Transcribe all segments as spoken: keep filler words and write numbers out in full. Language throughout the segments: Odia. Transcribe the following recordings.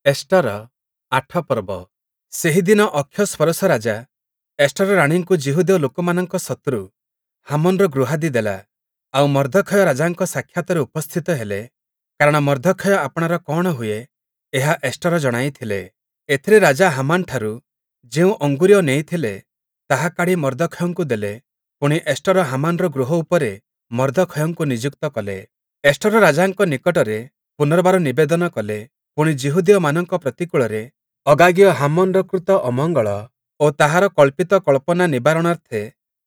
ଏଷ୍ଟର ଆଠ ପର୍ବ। ସେହି ଦିନ ଅକ୍ଷଶ୍ଵରୋଷ ରାଜା ଏଷ୍ଟର ରାଣୀଙ୍କୁ ଯିହୁଦୀୟ ଲୋକମାନଙ୍କ ଶତ୍ରୁ ହାମନ୍‌ର ଗୃହାଦି ଦେଲା। ଆଉ ମର୍ଦ୍ଦଖୟ ରାଜାଙ୍କ ସାକ୍ଷାତରେ ଉପସ୍ଥିତ ହେଲେ, କାରଣ ମର୍ଦ୍ଦଖୟ ଆପଣାର କଅଣ ହୁଏ, ଏହା ଏଷ୍ଟର ଜଣାଇଥିଲେ। ଏଥିରେ ରାଜା ହାମାନଠାରୁ ଯେଉଁ ଅଙ୍ଗୁରୀୟ ନେଇଥିଲେ, ତାହା କାଢ଼ି ମର୍ଦ୍ଦଖୟଙ୍କୁ ଦେଲେ। ପୁଣି ଏଷ୍ଟର ହାମାନର ଗୃହ ଉପରେ ମର୍ଦ୍ଦଖୟଙ୍କୁ ନିଯୁକ୍ତ କଲେ। ଏଷ୍ଟର ରାଜାଙ୍କ ନିକଟରେ ପୁନର୍ବାର ନିବେଦନ କଲେ, ପୁଣି ଯିହୁଦୀୟମାନଙ୍କ ପ୍ରତିକୂଳରେ ଅଗାଗୀୟ ହାମନ୍‌ର କୃତ ଅମଙ୍ଗଳ ଓ ତାହାର କଳ୍ପିତ କଳ୍ପନା ନିବାରଣାର୍ଥେ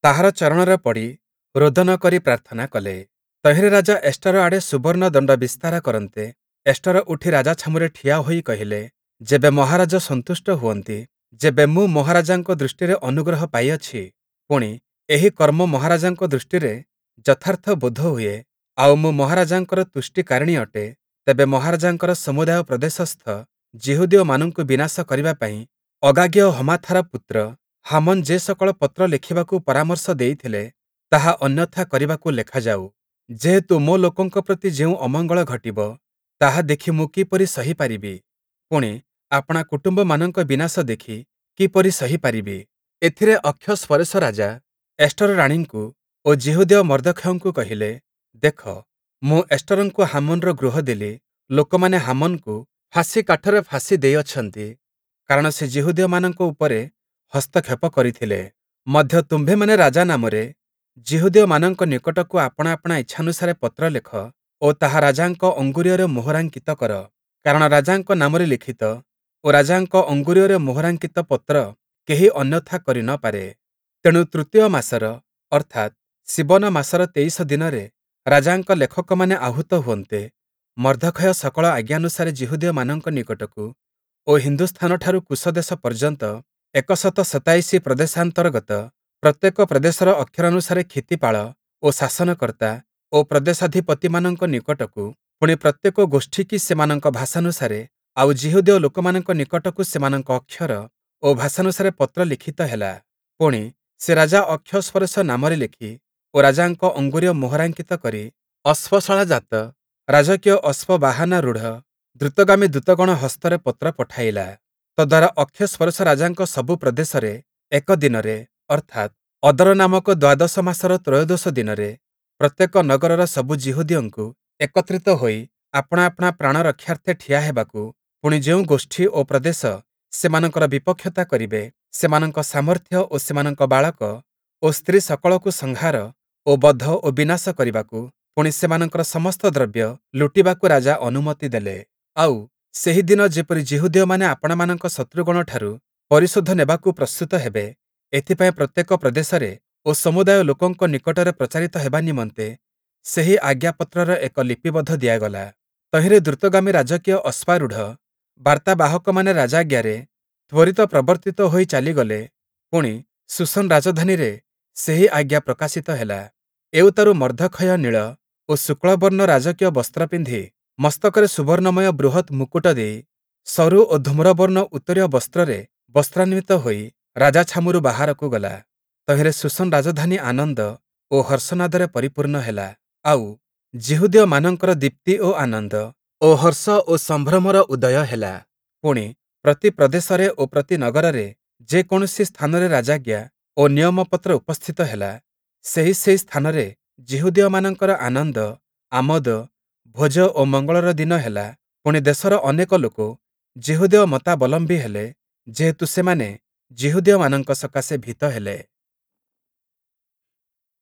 ତାହାର ଚରଣରେ ପଡ଼ି ରୋଦନ କରି ପ୍ରାର୍ଥନା କଲେ। ତହିଁରେ ରାଜା ଏଷ୍ଟର ଆଡ଼େ ସୁବର୍ଣ୍ଣ ଦଣ୍ଡ ବିସ୍ତାର କରନ୍ତେ, ଏଷ୍ଟର ଉଠି ରାଜାଛାମୁରେ ଠିଆ ହୋଇ କହିଲେ, ଯେବେ ମହାରାଜ ସନ୍ତୁଷ୍ଟ ହୁଅନ୍ତି, ଯେବେ ମୁଁ ମହାରାଜାଙ୍କ ଦୃଷ୍ଟିରେ ଅନୁଗ୍ରହ ପାଇଅଛି, ପୁଣି, ଏହି କର୍ମ ମହାରାଜାଙ୍କ ଦୃଷ୍ଟିରେ ଯଥାର୍ଥ ବୋଧ ହୁଏ, ଆଉ ମୁଁ ମହାରାଜାଙ୍କର ତୁଷ୍ଟିକାରିଣୀ ଅଟେ, ତେବେ ମହାରାଜାଙ୍କର ସମୁଦାୟ ପ୍ରଦେଶସ୍ଥ ଯିହୁଦୀୟମାନଙ୍କୁ ବିନାଶ କରିବା ପାଇଁ ଅଗାଗୀୟ ହମାଥାର ପୁତ୍ର ହାମନ୍ ଯେ ସକଳ ପତ୍ର ଲେଖିବାକୁ ପରାମର୍ଶ ଦେଇଥିଲେ, ତାହା ଅନ୍ୟଥା କରିବାକୁ ଲେଖାଯାଉ। ଯେହେତୁ ମୋ ଲୋକଙ୍କ ପ୍ରତି ଯେଉଁ ଅମଙ୍ଗଳ ଘଟିବ, ତାହା ଦେଖି ମୁଁ କିପରି ସହି ପାରିବି? ପୁଣି, ଆପଣା କୁଟୁମ୍ବମାନଙ୍କ ବିନାଶ ଦେଖି କିପରି ସହି ପାରିବି? ଏଥିରେ ଅକ୍ଷଶ୍ଵରୋଷ ରାଜା ଏଷ୍ଟର ରାଣୀଙ୍କୁ ଓ ଯିହୁଦୀୟ ମର୍ଦ୍ଦଖୟଙ୍କୁ କହିଲେ, ଦେଖ, ମୁଁ ଏଷ୍ଟରଙ୍କୁ ହାମନ୍‌ର ଗୃହ ଦେଲି। ଲୋକମାନେ ହାମନ୍‌କୁ ଫାଶୀ କାଠରେ ଫାଶୀ ଦେଇଅଛନ୍ତି, କାରଣ ସେ ଯିହୁଦୀୟମାନଙ୍କ ଉପରେ ହସ୍ତକ୍ଷେପ କରିଥିଲେ। ମଧ୍ୟ ତୁମ୍ଭେମାନେ ରାଜା ନାମରେ ଯିହୁଦୀୟମାନଙ୍କ ନିକଟକୁ ଆପଣା ଆପଣା ଇଚ୍ଛାନୁସାରେ ପତ୍ର ଲେଖ ଓ ତାହା ରାଜାଙ୍କ ଅଙ୍ଗୁରୀୟରେ ମୋହରାଙ୍କିତ କର। କାରଣ ରାଜାଙ୍କ ନାମରେ ଲିଖିତ ଓ ରାଜାଙ୍କ ଅଙ୍ଗୁରୀୟରେ ମୋହରାଙ୍କିତ ପତ୍ର କେହି ଅନ୍ୟଥା କରି ନ ପାରେ। ତେଣୁ ତୃତୀୟ ମାସର ଅର୍ଥାତ୍ ଶିବନ ମାସର ତେଇଶ ଦିନରେ ରାଜାଙ୍କ ଲେଖକମାନେ ଆହୂତ ହୁଅନ୍ତେ, ମର୍ଦ୍ଦଖୟ ସକଳ ଆଜ୍ଞାନୁସାରେ ଯିହୁଦୀୟମାନଙ୍କ ନିକଟକୁ ଓ ହିନ୍ଦୁସ୍ଥାନଠାରୁ କୂଶ ଦେଶ ପର୍ଯ୍ୟନ୍ତ ଏକଶତ ସତାଇଶି ପ୍ରଦେଶାନ୍ତର୍ଗତ ପ୍ରତ୍ୟେକ ପ୍ରଦେଶର ଅକ୍ଷରାନୁସାରେ କ୍ଷିତିପାଳ ଓ ଶାସନକର୍ତ୍ତା ଓ ପ୍ରଦେଶାଧିପତିମାନଙ୍କ ନିକଟକୁ, ପୁଣି ପ୍ରତ୍ୟେକ ଗୋଷ୍ଠୀକି ସେମାନଙ୍କ ଭାଷାନୁସାରେ ଆଉ ଯିହୁଦୀୟ ଲୋକମାନଙ୍କ ନିକଟକୁ ସେମାନଙ୍କ ଅକ୍ଷର ଓ ଭାଷାନୁସାରେ ପତ୍ର ଲିଖିତ ହେଲା। ପୁଣି, ସେ ରାଜା ଅକ୍ଷଶ୍ଵରୋଷ ନାମରେ ଲେଖି ଓ ରାଜାଙ୍କ ଅଙ୍ଗୁରୀୟ ମୋହରାଙ୍କିତ କରି ଅଶ୍ଵଶାଳାଜାତ ରାଜକୀୟ ଅଶ୍ଵବାହନାରୂଢ଼ ଦ୍ରୁତଗାମୀ ଦୂତଗଣ ହସ୍ତରେ ପତ୍ର ପଠାଇଲା। ତଦ୍ଦ୍ୱାରା ଅକ୍ଷଶ୍ଵରୋଷ ରାଜାଙ୍କ ସବୁ ପ୍ରଦେଶରେ ଏକ ଦିନରେ, ଅର୍ଥାତ୍, ଅଦର ନାମକ ଦ୍ୱାଦଶ ମାସର ତ୍ରୟୋଦଶ ଦିନରେ ପ୍ରତ୍ୟେକ ନଗରର ସବୁ ଯିହୁଦୀୟଙ୍କୁ ଏକତ୍ରିତ ହୋଇ ଆପଣା ଆପଣା ପ୍ରାଣ ରକ୍ଷାର୍ଥେ ଠିଆ ହେବାକୁ, ପୁଣି ଯେଉଁ ଗୋଷ୍ଠୀ ଓ ପ୍ରଦେଶ ସେମାନଙ୍କର ବିପକ୍ଷତା କରିବେ, ସେମାନଙ୍କ ସାମର୍ଥ୍ୟ ଓ ସେମାନଙ୍କ ବାଳକ ଓ ସ୍ତ୍ରୀ ସକଳକୁ ସଂହାର ଓ ବଧ ଓ ବିନାଶ କରିବାକୁ, ପୁଣି ସେମାନଙ୍କର ସମସ୍ତ ଦ୍ରବ୍ୟ ଲୁଟିବାକୁ ରାଜା ଅନୁମତି ଦେଲେ। ଆଉ, ସେହି ଦିନ ଯେପରି ଯିହୁଦୀୟମାନେ ଆପଣାମାନଙ୍କ ଶତ୍ରୁଗଣଠାରୁ ପରିଶୋଧ ନେବାକୁ ପ୍ରସ୍ତୁତ ହେବେ, ଏଥିପାଇଁ ପ୍ରତ୍ୟେକ ପ୍ରଦେଶରେ ଓ ସମୁଦାୟ ଲୋକଙ୍କ ନିକଟରେ ପ୍ରଚାରିତ ହେବା ନିମନ୍ତେ ସେହି ଆଜ୍ଞାପତ୍ରର ଏକ ଲିପିବଦ୍ଧ ଦିଆଗଲା। ତହିଁରେ ଦ୍ରୁତଗାମୀ ରାଜକୀୟ ଅଶ୍ୱାରୂଢ଼ ବାର୍ତ୍ତାବାହକମାନେ ରାଜାଜ୍ଞାରେ ତ୍ୱରିତ ପ୍ରବର୍ତ୍ତିତ ହୋଇ ଚାଲିଗଲେ। ପୁଣି, ଶୂଶନ୍ ରାଜଧାନୀରେ ସେହି ଆଜ୍ଞା ପ୍ରକାଶିତ ହେଲା। ଏଉତ୍ତାରୁ ମର୍ଦ୍ଦଖୟ ନୀଳ ଓ ଶୁକ୍ଳବର୍ଣ୍ଣ ରାଜକୀୟ ବସ୍ତ୍ର ପିନ୍ଧି, ମସ୍ତକରେ ସୁବର୍ଣ୍ଣମୟ ବୃହତ୍ ମୁକୁଟ ଦେଇ, ସରୁ ଓ ଧୂମ୍ରବର୍ଣ୍ଣ ଉତ୍ତରୀୟ ବସ୍ତ୍ରରେ ବସ୍ତ୍ରାନ୍ୱିତ ହୋଇ ରାଜାଛାମୁରୁ ବାହାରକୁ ଗଲା। ତହିଁରେ ଶୂଶନ୍ ରାଜଧାନୀ ଆନନ୍ଦ ଓ ହର୍ଷନାଦରେ ପରିପୂର୍ଣ୍ଣ ହେଲା। ଆଉ, ଯିହୁଦୀୟମାନଙ୍କର ଦୀପ୍ତି ଓ ଆନନ୍ଦ ଓ ହର୍ଷ ଓ ସମ୍ଭ୍ରମର ଉଦୟ ହେଲା। ପୁଣି, ପ୍ରତି ପ୍ରଦେଶରେ ଓ ପ୍ରତି ନଗରରେ ଯେ କୌଣସି ସ୍ଥାନରେ ରାଜାଜ୍ଞା ଓ ନିୟମପତ୍ର ଉପସ୍ଥିତ ହେଲା, ସେହି ସେହି ସ୍ଥାନରେ ଯିହୁଦୀୟମାନଙ୍କର ଆନନ୍ଦ, ଆମୋଦ, ଭୋଜ ଓ ମଙ୍ଗଳର ଦିନ ହେଲା। ପୁଣି, ଦେଶର ଅନେକ ଲୋକ ଯିହୁଦୀୟ ମତାବଲମ୍ବୀ ହେଲେ, ଯେହେତୁ ସେମାନେ ଯିହୁଦୀୟମାନଙ୍କ ସକାଶେ ଭୀତ ହେଲେ।